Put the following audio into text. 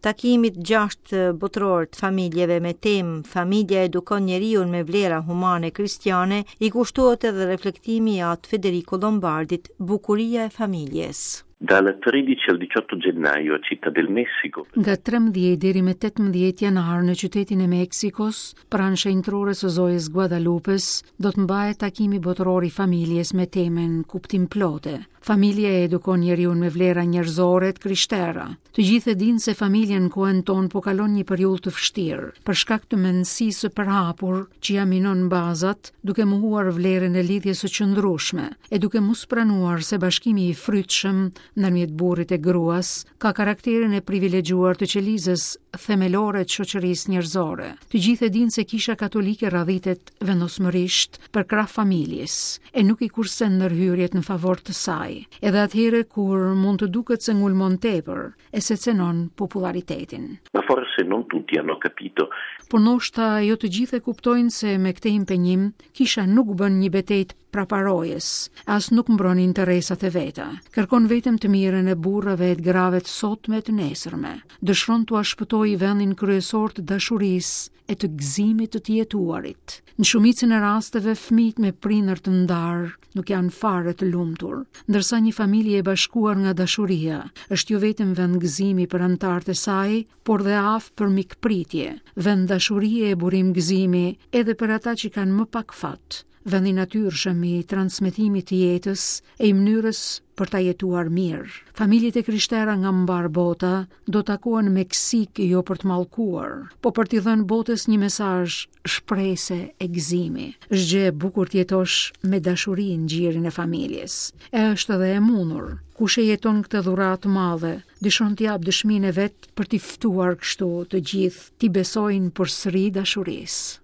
Takimit gjashtë botëror të familjeve me temë Familja edukon njeriun me vlera humane kristiane i kushtohet edhe reflektimi i At Federico Lombardit Bukuria e familjes. Dal 13 al 18 gennaio a Città del Messico. Nga 13 deri me 18 janar në qytetin e Meksikos, pranë shenjtërores së Zojës Guadalupes, do të mbahet takimi botëror i familjes me temën Kuptimplote. Familja e edukon njeriun me vlera njerëzore të krishtera. Të gjithë e dinë se familja në kohën tonë po kalon një periudhë të vështirë, për shkak të mendësisë së përhapur që ia minon bazat, duke mohuar vlerën e lidhjes së qëndrueshme, e duke mos pranuar se bashkimi i frytshëm ndërmjet burrit e gruas ka karakterin e privilegjuar të qelizës themelore të shoqërisë njerëzore. Të gjithë e dinë se Kisha Katolike radhitet vendosmërisht përkrah familjes e nuk i kursen ndërhyrjet në favor të saj, edhe atëherë kur mund të duket se ngulmon tepër e se cenon popullaritetin. Ma forse non tutti hanno capito. Por ndoshta jo të gjithë e kuptojnë se me këtë impenjim Kisha nuk bën një betejë të praparojës, as nuk mbron interesat e veta. Kërkon vetëm të mirën e burrave e të grave të sotme e të nesërme. Dëshiron t'ua shpëtojë vendin kryesor të dashurisë e të gëzimit të të jetuarit. Në shumicën e rasteve fëmijët me prindër të ndarë nuk janë fare të lumtur, ndërsa një familje e bashkuar nga dashuria është jo vetëm vend gëzimi për anëtarët e saj, por dhe aftë për mikpritje, vend dashurie e burim gëzimi edhe për ata që kanë më pak fat, vend i natyrshëm i transmetimit të jetës e i mënyrës për ta jetuar mirë. Familjet e krishtera nga mbarë bota do takohen në Meksikë jo për të mallkuar, po për t'i dhënë botës një mesazh shprese e gëzimi. Është gjë e bukur të jetosh me dashuri në gjirin e familjes. E është edhe e mundur. Kush e jeton këtë dhuratë të madhe, dëshiron të japë dëshminë e vet për t'i ftuar kështu të gjithë t'i besojnë përsëri dashurisë.